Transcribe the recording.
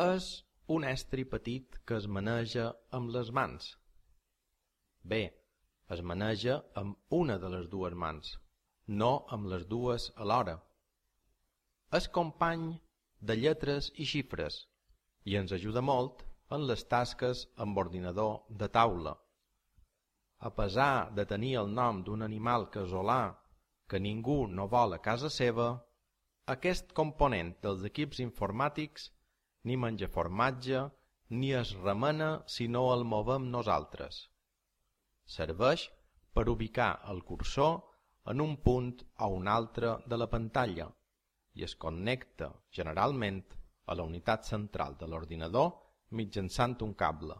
És un estri petit que es maneja amb les mans. Bé, es maneja amb una de les dues mans, no amb les dues alhora. És company de lletres i xifres i ens ajuda molt en les tasques amb ordinador de taula. A pesar de tenir el nom d'un animal casolà que ningú no vol a casa seva, aquest component dels equips informàtics ni menja formatge ni es remena si no el movem nosaltres. Serveix per ubicar el cursor en un punt o un altre de la pantalla i es connecta generalment a la unitat central de l'ordinador mitjançant un cable.